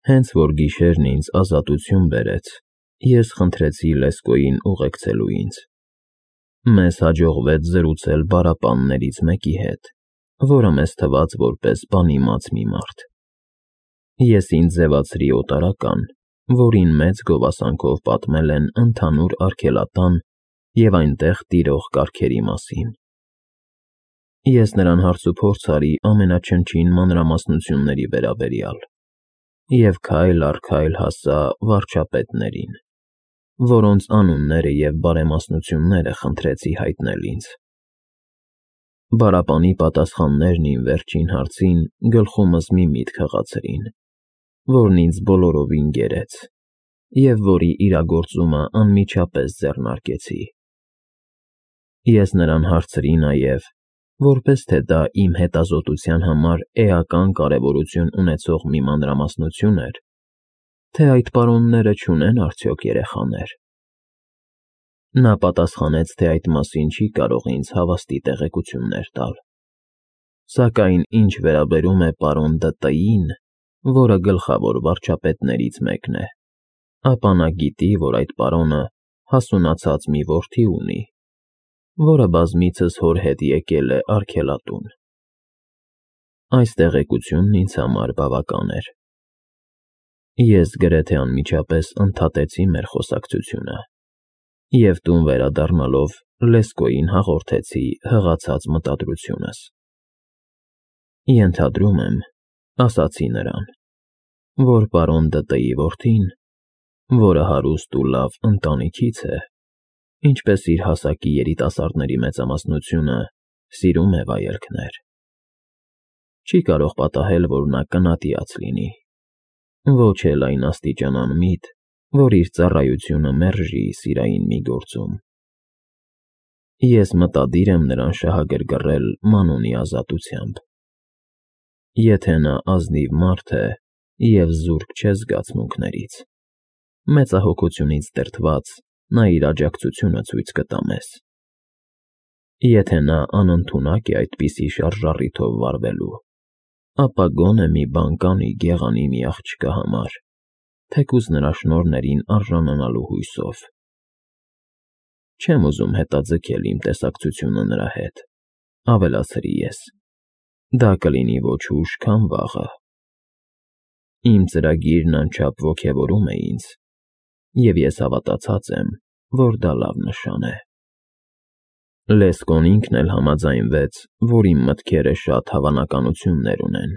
Հենց որ գիշերն ինձ ազատություն բերեց, ես խնդրեցի Լեսկոյին ուղեկցելու ինձ։ Մեզ հաջողվեց զրուցել պարապաններից մեկի հետ, որը մեզ թվաց որպես բանիմաց մի մարդ։ Ես ինձ ձևացրի օտարական, որին մեծ գովասանքով պատմել են ընդհանուր արգելատան և այնտեղ տիրող կարգերի մասին։ Ես նրան հարցուփորձ արի ամենաչնչին մանրամասնությունների վերաբերյալ և քայլ առ քայլ հասա վարչապետներին, որոնց անունները և բարեմասնությունները խնդրեցի հայտնել ինձ։ Պարապանի պատասխաններն իմ վերջին հարցին գլխումս մի միտք հղացրին, որն ինձ բոլորովին գերեց և որի իրագործումը անմիջապես ձեռնարկեցի։ Ես նրան հարցրի նաև, որպես թե դա իմ հետազոտության համար էական կարևորություն ունեցող մի մանրամասնություն էր, թե այդ պարոնները չունեն արդյոք երեխաներ։ Նա պատասխանեց, թե այդ մասին չի կարող ինձ հավաստի տեղեկություններ տալ, սակայն ինչ վերաբերում է պարոն Դ.Տ.-ին, որը գլխավոր վարչապետներից մեկն է, ապա նա գիտի, որ այդ պարոնը հասունացած մի որդի ունի, որը բազմիցս հոր հետ եկել է արգելատուն։ Այս տեղեկությունն ինձ համար բավական էր։ Ես գրեթե անմիջապես ընդհատեցի մեր խոսակցությունը և տուն վերադառնալով Լեսկոյին հաղորդեցի հղացած մտադրությունս։ Ենթադրում եմ, ասացի նրան, որ պարոն Դ.Տ.-ի որդին, որը հարուստ ու լավ ընտանիքից է, ինչպես իր հասակի երիտասարդների մեծամասնությունը, սիրում է վայելքներ։ Չի կարող պատահել, որ նա կնատիաց լինի, ոչ էլ այն աստիճան անմիտ, որ իր ծառայությունը մերժի սիրային մի գործում։ Ես մտադիր եմ նրան շահագրգռել մանունի ազատությամբ։ Եթե նա ազնիվ մարդ է և զուրկ չէ զգացմունքներից, մեծահոգությունից դրդված նա իր աջակցությունը ցույց կտա մեզ։ Եթե նա անընդունակ է այդպիսի շարժառիթով վարվելու, ապա գոնե մի բան կանի գեղանի մի աղջկա համար, թեկուզ նրա շնորհներին արժանանալու հույսով։ Չեմ ուզում հետաձգել իմ տեսակցությունը նրա հետ, ավելացրի ես, դա կլինի ոչ ուշ, քան վաղը։ Իմ ծրագիրն անչափ ոգևորում է ինձ, և ես հավատացած եմ, որ դա լավ նշան է։ Լեսկոն ինքն էլ համաձայնվեց, որ իմ մտքերը շատ հավանականություններ ունեն,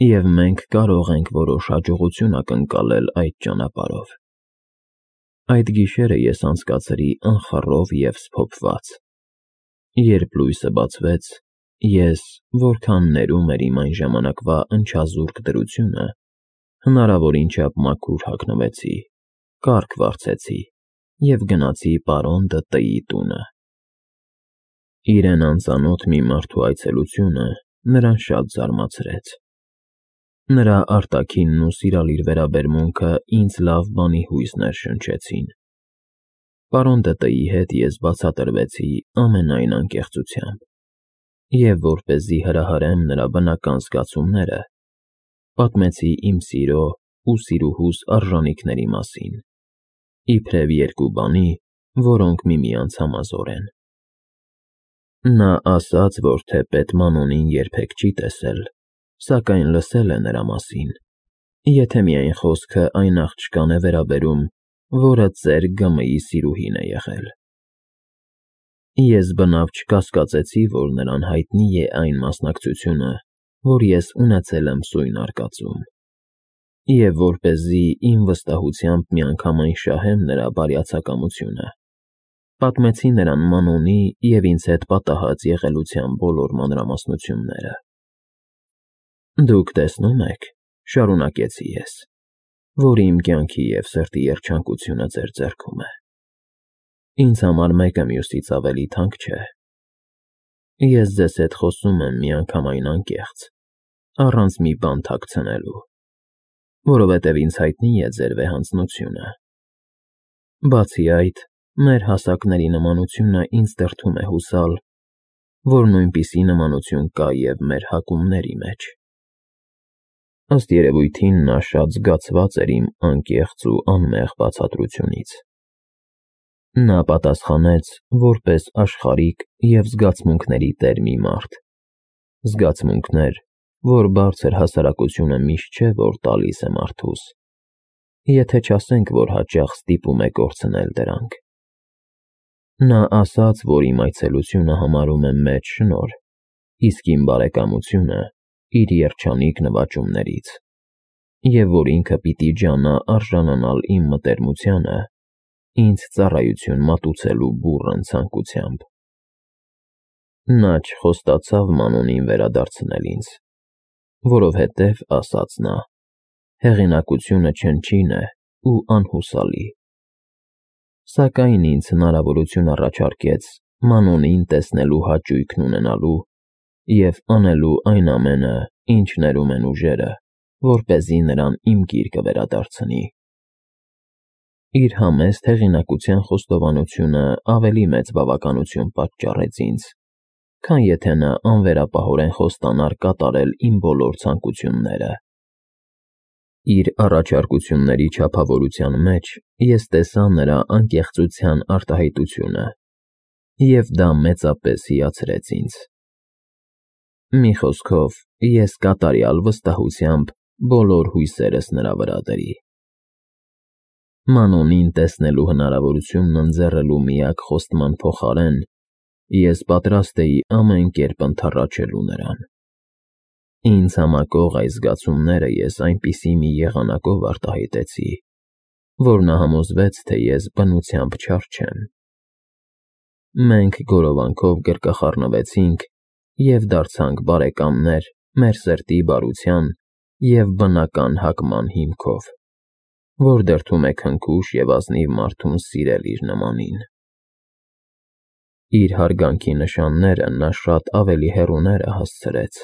և մենք կարող ենք որոշ հաջողություն ակնկալել այդ ճանապարհով։ Այդ գիշերը ես անցկացրի անխռով և սփոփված։ Երբ լույսը բացվեց, ես, որքան ներում էր իմ այն ժամանակվա ընչազուրկ դրությունը, հնարավորին չափ մաքուր հագնվեցի, կառք վարձեցի և գնացի պարոն Դ.Տ.-ի տունը։ Իրեն անծանոթ մի մարդու այցելությունը նրան շատ զարմացրեց։ Նրա արտաքինն ու սիրալիր վերաբերմունքը ինձ լավ բանի հույս ներշնչեցին։ Պարոն Դ.Տ.-ի հետ ես բացատրվեցի ամենայն անկեղծությամբ, և որպեսզի հրահրեմ նրա բնական զգացումները, պատմեցի իմ սիրո ու սիրուհուս արժանիքների մասին, իբրև երկու բանի, որոնք միմյանց համազոր են։ Նա ասաց, որ թեպետ Մանոնին երբեք չի տեսել, սակայն լսել է նրա մասին, եթե միայն խոսքը այն աղջկան է վերաբերում, որը ծեր Գ.Մ.-ի սիրուհին է եղել։ Ես բնավ չկասկածեցի, որ նրան հայտնի է այն մասնակցությունը, որ ես ունեցել եմ սույն արկածում, և որպեսզի իմ վստահությամբ միանգամայն շահեմ նրա բարյացակամությունը, պատմեցի նրան Մանոնի և ինձ հետ պատահած եղելության բոլոր մանրամասնությունները։ Դուք տեսնում եք, շարունակեցի ես, որ իմ կյանքի և սրտի երջանկությունը ձեր ձեռքում է։ Ինձ համար մեկը մյուսից ավելի թանկ չէ։ Ես ձեզ հետ խոսում եմ միանգամայն անկեղծ, առանց մի բան թաքցնելու, որովհետև ինձ հայտնի է ձեր վեհանձնությունը։ Բացի այդ, մեր հասակների նմանությունը ինձ դրդում է հուսալ, որ նույնպիսի նմանություն կա և մեր հակումների մեջ։ Ըստ երևույթին նա շատ զգացված էր իմ անկեղծ ու անմեղ բացատրությունից։ Նա պատասխանեց որպես աշխարհիկ և զգացմունքների տեր մի մարդ։ Զգացմունքներ, որ բարձր հասարակությունը միշտ չէ, որ տալիս է մարդուս, եթե չասենք, որ հաճախ ստիպում է կորցնել դրանք։ Նա ասաց, որ իմ այցելությունը համարում է մեծ շնորհ, իսկ իմ բարեկամությունը իր երջանիկ նվաճումներից, և որ ինքը պիտի ջանա արժանանալ իմ մտերմությանը, ինձ ծառայություն մատուցելու բուռն ցանկությամբ։ Նա չխոստացավ Մանոնին վերադարձնել ինձ, որովհետև, ասաց նա, հեղինակությունը չնչին է ու անհուսալի։ Սակայն ինձ հնարավորություն առաջարկեց Մանոնին տեսնելու հաճույքն ունենալու և անելու այն ամենը, ինչ ներում են ուժերը, որպեսզի նրան իմ գիրկը վերադարձնի։ Իր համեստ հեղինակության խոստովանությունը ավելի մեծ բավականություն պատճառեց ինձ, քան եթե նա անվերապահորեն խոստանար կատարել իմ բոլոր ցանկությունները։ Իր առաջարկությունների չափավորության մեջ ես տեսա նրա անկեղծության արտահայտությունը, և դա մեծապես հիացրեց ինձ։ Մի խոսքով, ես կատարյալ վստահությամբ բոլոր հույսերս նրա վրա դրի։ Մանոնին տեսնելու հնարավորությունն ընձեռելու միակ խոստման փոխարեն ես պատրաստ էի ամեն կերպ ընդառաջելու նրան։ Ինձ համակող այս զգացումները ես այնպիսի մի եղանակով արտահայտեցի, որ նա համոզվեց, թե ես բնությամբ չար չեմ։ Մենք գորովանքով գրկախառնվեցինք և դարձանք բարեկամներ մեր սրտի բարության և բնական հակման հիմքով, որ դրդում է քնքուշ և ազնիվ մարդուն սիրել իր նմանին։ Իր հարգանքի նշանները նա շատ ավելի հեռուները հասցրեց,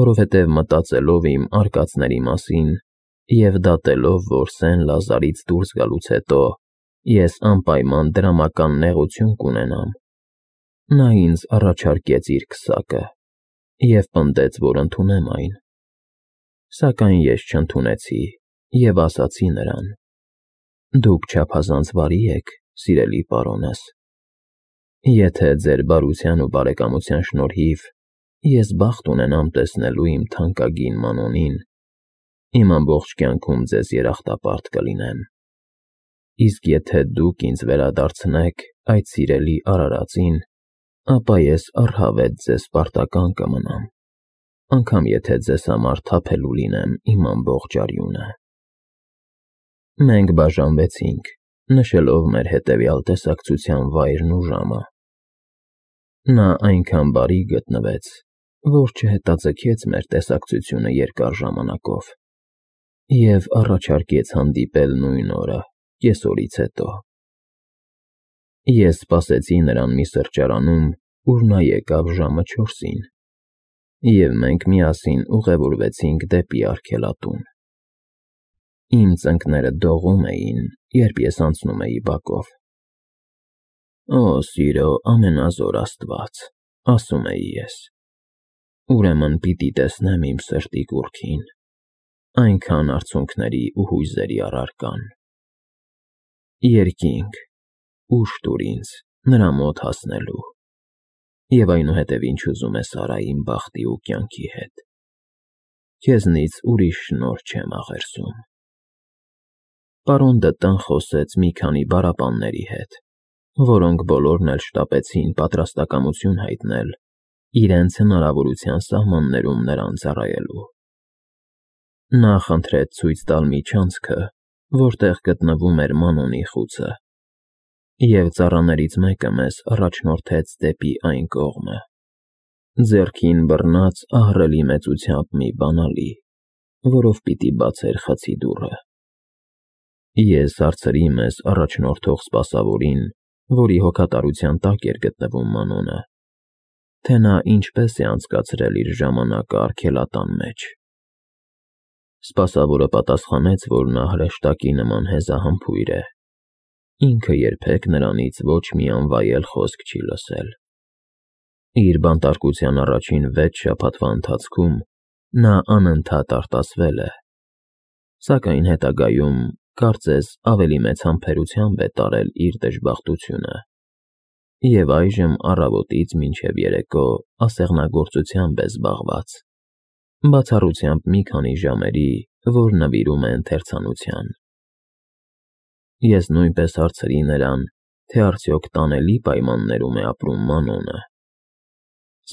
որովհետև մտածելով իմ արկածների մասին և դատելով, որ Սեն֊Լազարից դուրս գալուց հետո ես անպայման դրամական նեղություն կունենամ, նա ինձ առաջարկեց իր քսակը և պնդեց, որ ընդունեմ այն։ Սակայն ես չընդունեցի և ասացի նրան. «Դուք չափազանց բարի եք, սիրելի պարոնս։ Եթե ձեր բարության ու բարեկամության շնորհիվ ես բախտ ունենամ տեսնելու իմ թանկագին Մանոնին, իմ ամբողջ կյանքում ձեզ երախտապարտ կլինեմ։ Իսկ եթե դուք ինձ վերադարձնեք այդ սիրելի արարածին, ապա ես առհավետ ձեզ պարտական կմնամ, անգամ եթե ձեզ համար թափելու լինեմ իմ ամբողջ արյունը»։ Մենք բաժանվեցինք, նշելով մեր հետևյալ տեսակցության վայրն ու ժամը։ Նա այնքան բարի գտնվեց, որ չհետաձգեց մեր տեսակցությունը երկար ժամանակով և առաջարկեց հանդիպել նույն օրը, կեսօրից հետո։ Ես սպասեցի նրան մի սրճարանում, ուր նա եկավ ժամը 4-ին, և մենք միասին ուղևորվեցինք դեպի արգելատուն։ Իմ ծնկները դողում էին, երբ ես անցնում էի բակով։ «Օ, սիրո ամենազոր Աստված», ասում էի ես, «ուրեմն պիտի տեսնեմ իմ սրտի կուռքին, այնքան արցունքների ու հույզերի առարկան։ Երկինք, ուժ տուր ինձ նրա մոտ հասնելու, և այնուհետև ինչ ուզում ես արա իմ բախտի ու կյանքի հետ։ Քեզնից ուրիշ շնորհ չեմ աղերսում»։ Պարոն Դ'Տան խոսեց մի քանի բառապանների հետ, որոնք բոլորն էլ շտապեցին պատրաստակամություն հայտնել իրենց հնարավորության սահմաններում նրան ծառայելու։ Նա խնդրեց ցույց տալ միջանցքը, որտեղ գտնվում էր Մանոնի խուցը, և ծառաներից մեկը մեզ առաջնորդեց դեպի այն կողմը, ձեռքին բռնած ահռելի մեծությամբ մի բանալի, որով պիտի բացեր խցի դուռը։ Ես հարցրի մեզ առաջնորդող սպասավորին, որի հոգատարության տակ էր գտնվում Մանոնը, թե նա ինչպես է անցկացրել իր ժամանակը արգելատան մեջ։ Սպասավորը պատասխանեց, որ նա հրեշտակի նման հեզահամբույր է, ինքը երբեք նրանից ոչ մի անվայել խոսք չի լսել։ Իր բանտարկության առաջին 6 շաբաթվա ընթացքում Նա անընդհատ արտասվել է, սակայն հետագայում, կարծես, ավելի մեծ համբերությամբ է տարել իր դժբախտությունը, և այժմ առավոտից մինչև երեկո ասեղնագործությամբ է զբաղված, բացառությամբ մի քանի ժամերի, որ նվիրում է ընթերցանության։ Ես նույնպես հարցրի նրան, թե արդյոք տանելի պայմաններում է ապրում Մանոնը։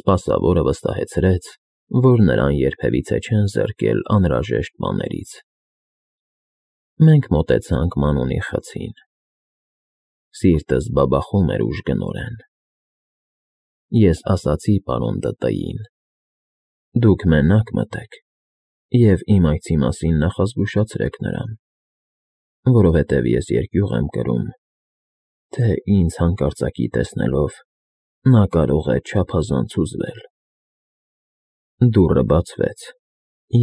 Սպասավորը վստահեցրեց, որ նրան երբևիցե չեն զրկել անհրաժեշտ բաներից։ Մենք մոտեցանք Մանոնի խցին։ Սիրտս բաբախում էր ուժգնորեն։ Ես ասացի պարոն Դ.Տ.-ին. «Դուք մենակ մտեք և իմ այցի մասին նախազգուշացրեք նրան, որովհետև ես երկյուղ եմ կրում, թե ինձ հանկարծակի տեսնելով նա կարող է չափազանց հուզվել»։ Դուռը բացվեց,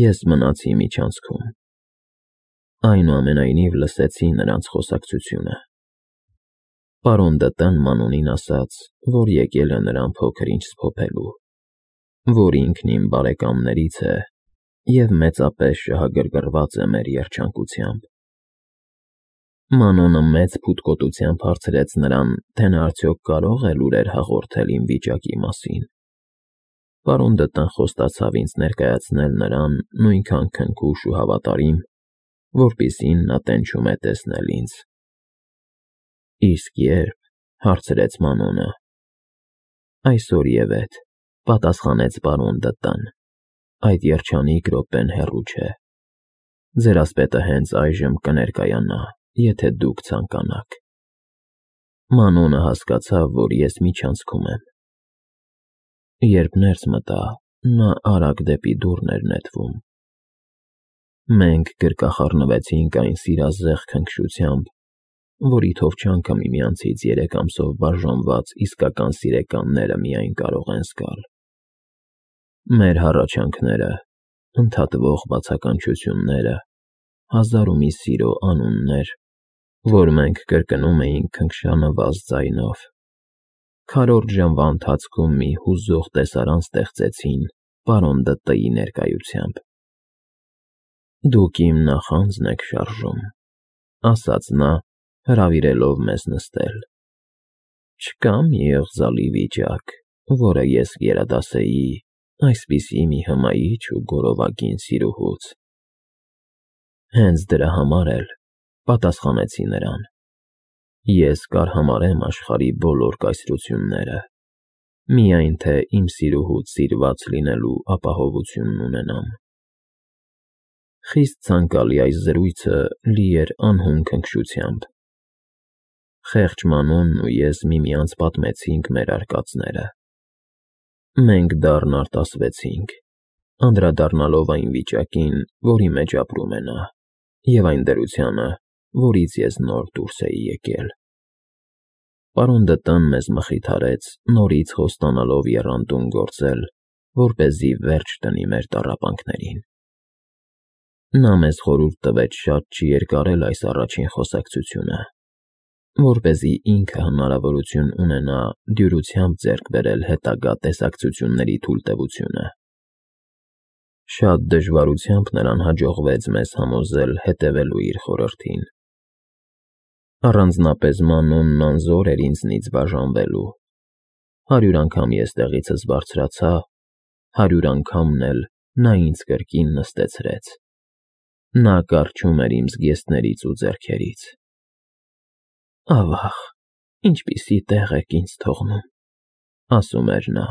ես մնացի միջանցքում։ Այնուամենայնիվ լսեցի նրանց խոսակցությունը։ Պարոն Դ.Տ.-ն Մանոնին ասաց, որ եկել է նրան փոքր-ինչ սփոփելու, որ ինքն իմ բարեկամներից է և մեծապես շահագրգռված է մեր երջանկությամբ։ Մանոնը մեծ փութկոտությամբ հարցրեց նրան, թե նա արդյոք կարող է լուրեր հաղորդել իմ վիճակի մասին։ Պարոն Դ.Տ.-ն խոստացավ ինձ ներկայացնել նրան նույնքան քնքուշ ու հավատարիմ, որպիսին նա տենչում է տեսնել ինձ։ Իսկ ե՞րբ, հարցրեց Մանոնը։ Այսօր և էդ, պատասխանեց պարոն Դ.Տ.-ն, այդ երջանիկ րոպեն հեռու չէ։ Ձեր ասպետը հենց այժմ կներկայանա, եթե դուք ցանկանաք։ Մանոնը հասկացավ, որ ես միջանցքում եմ։ Երբ ներս մտա, նա արագ դեպի դուռն էր նետվում։ Մենք գրկախառնվեցինք այն սիրազեղ քնքշությամբ, որի թովչանքը միմյանցից 3 ամսով բաժանված իսկական սիրեկանները միայն կարող են զգալ։ Մեր հառաչանքները, ընդհատվող բացականչությունները, հազար ու մի սիրո անուններ, որ մենք կրկնում էինք քնքշանված ձայնով, քառորդ ժամվա ընթացքում մի հուզող տեսարան ստեղծեցին պարոն Դ.Տ.-ի ներկայությամբ։ «Դուք իմ նախանձն եք շարժում», ասաց նա, հրավիրելով մեզ նստել։ «Չկա մի ըղձալի վիճակ, որը ես գերադասեի այսպիսի մի հմայիչ ու գորովագին սիրուհուց»։ Հենց դրա համար էլ, պատասխանեցի նրան, ես կարհամարեմ աշխարհի բոլոր կայսրությունները, միայն թե իմ սիրուհուց սիրված լինելու ապահովությունն ունենամ։ Խիստ ցանկալի այս զրույցը լի էր անհուն քնքշությամբ։ Խեղճ Մանոնն ու ես միմյանց պատմեցինք մեր արկածները։ Մենք դառն արտասվեցինք, անդրադառնալով այն վիճակին, որի մեջ ապրում է նա, և այն դրությանը, որից ես նոր դուրս էի եկել։ Պարոն Դ.Տ.-ն մեզ մխիթարեց նորից խոստանալով եռանդուն գործել, որպեսզի վերջ տնի մեր տառապանքներին։ Նա մեզ խորհուրդ տվեց շատ չերկարել այս առաջին խոսակցությունը, որպեսզի ինքը հնարավորություն ունենա դյուրությամբ ձեռք բերել հետագա տեսակցությունների թույլտվությունը։ Շատ դժվարությամբ նրան հաջողվեց մեզ համոզել հետևելու իր խորհրդին։ Առանձնապես Մանոնն անզոր էր ինձնից բաժանվելու։ 100 անգամ ես տեղիցս բարձրացա, 100 անգամն էլ նա ինձ կրկին նստեցրեց։ Նա կառչում էր իմ զգեստներից ու ձեռքերից։ «Ավա՜ղ, ինչպիսի տեղ եք ինձ թողնում», ասում էր նա։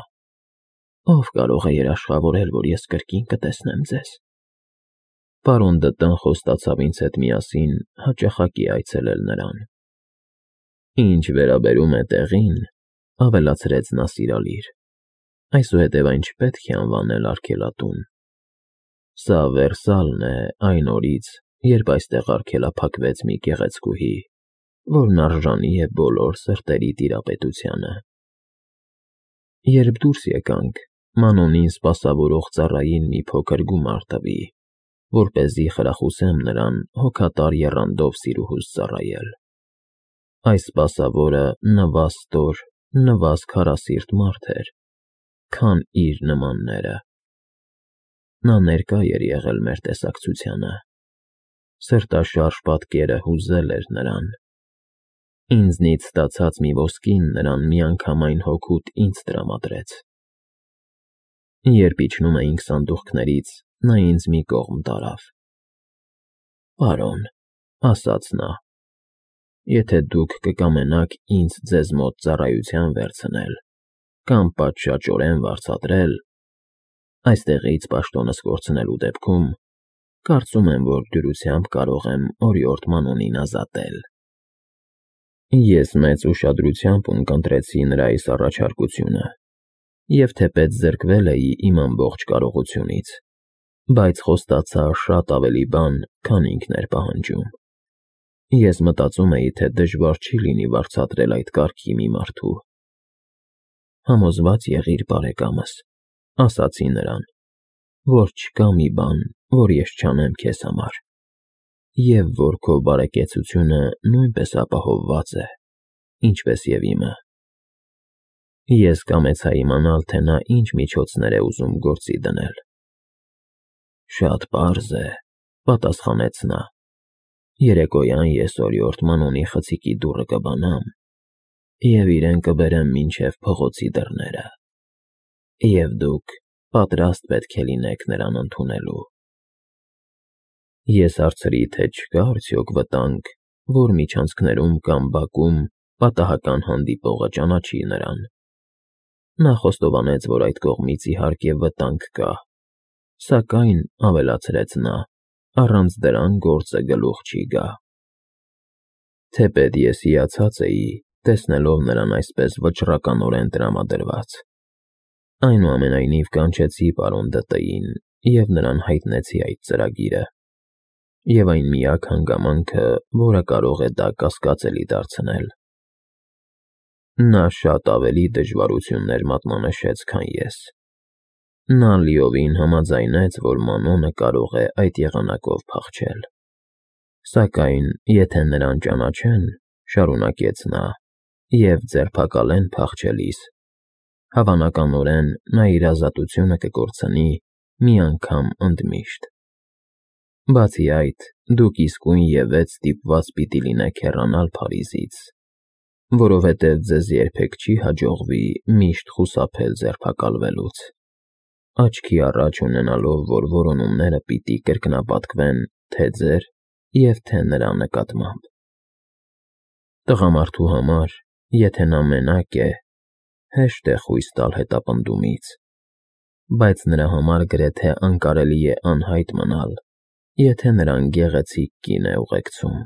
«Ո՞վ կարող է երաշխավորել, որ ես կրկին կտեսնեմ ձեզ»։ Պարոն Դ.Տ.-ն խոստացավ ինձ հետ միասին հաճախակի այցելել նրան։ Ինչ վերաբերում է տեղին, ավելացրեց նա սիրալիր, այսուհետև այն չպետք է անվանել արգելատուն։ Սա Վերսալն է այն օրից, երբ այստեղ արգելափակվեց մի գեղեցկուհի, որն արժանի է բոլոր սրտերի տիրապետությանը։ Երբ դուրս եկանք, Մանոնին սպասավորող ծառային մի փոքր գումար տվի, որպեսզի խրախուսեմ նրան հոգատար եռանդով սիրուհուս ծառայել։ Այս սպասավորը նվաստոր, նվազ քարասիրտ մարդ էր, քան իր նմանները։ նա ներկա էր եղել մեր տեսակցությանը։ Սրտաշարժ պատկերը հուզել էր նրան։ Ինձնից ստացած մի ոսկին նրան միանգամայն հոգուտ ինձ տրամադրեց։ Երբ իջնում էինք սանդուղքներից, նա ինձ մի կողմ տարավ։ «Պարոն», ասաց նա, «եթե դուք կկամենաք ինձ ձեզ մոտ ծառայության վերցնել կամ պատշաճորեն վարձատրել, այստեղից պաշտոնս կորցնելու դեպքում, կարծում եմ, որ դյուրությամբ կարող եմ օրիորդ Մանոնին ազատել»։ Ես մեծ ուշադրությամբ ունկնդրեցի նրա այս առաջարկությունը և թեպետ զրկվել էի իմ ամբողջ կարողությունից, բայց խոստացա շատ ավելի բան, քան ինքն էր պահանջում։ Ես մտածում էի, թե դժվար չի լինի վարձատրել այդ կարգի մի մարդու։ «Համոզված եղիր, բարեկամս», ասացի նրան, «որ չկա մի բան, որ ես չանեմ քեզ համար, և որ քո բարեկեցությունը նույնպես ապահովված է, ինչպես և իմը»։ Ես կամեցա իմանալ, թե նա ինչ միջոցներ է ուզում գործի դնել։ «Շատ պարզ է», պատասխանեց նա, «երեկոյան ես օրիորդ Մանոնի խցիկի դուռը կբանամ և իրեն կբերեմ մինչև փողոցի դռները, և դուք պատրաստ պետք է լինեք նրան ընդունելու»։ Ես հարցրի, թե չկա արդյոք վտանգ, որ միջանցքներում կամ բակում պատահական հանդիպողը ճանաչի նրան։ Նա խոստովանեց, որ այդ կողմից իհարկե վտանգ կա, սակայն, ավելացրեց նա, առանց դրան գործը գլուխ չի գա։ Թեպետ ես հիացած էի, տեսնելով նրան այսպես վճռականորեն տրամադրված։ Այնուամենայնիվ կանչեցի պարոն Դ.Տ.-ին և նրան հայտնեցի այդ ծրագիրը, և այն միակ հանգամանքը, որը կարող է դա կասկածելի դարձնել։ Նա շատ ավելի դժվարություններ մատնանշեց, քան ես։ Նա լիովին համաձայնեց, որ Մանոնը կարող է այդ եղանակով փախչել։ Սակայն, եթե նրան ճանաչեն, շարունակեց նա, և ձերբակալեն փախչելիս, հավանականորեն նա իր ազատությունը կկորցնի մի անգամ ընդմիշտ։ Բացի այդ, դուք իսկույնևեթ ստիպված պիտի լինեք հեռանալ Փարիզից, որովհետև ձեզ երբեք չի հաջողվի միշտ խուսափել ձերբակալվելուց, աչքի առաջ ունենալով, որ որոնումները պիտի կրկնապատկվեն թե ձեր և թե նրա նկատմամբ։ Տղամարդու համար, եթե նա մենակ է, հեշտ է խույս տալ հետապնդումից, բայց նրա համար գրեթե անկարելի է անհայտ մնալ, եթե նրան գեղեցիկ կին է ուղեկցում։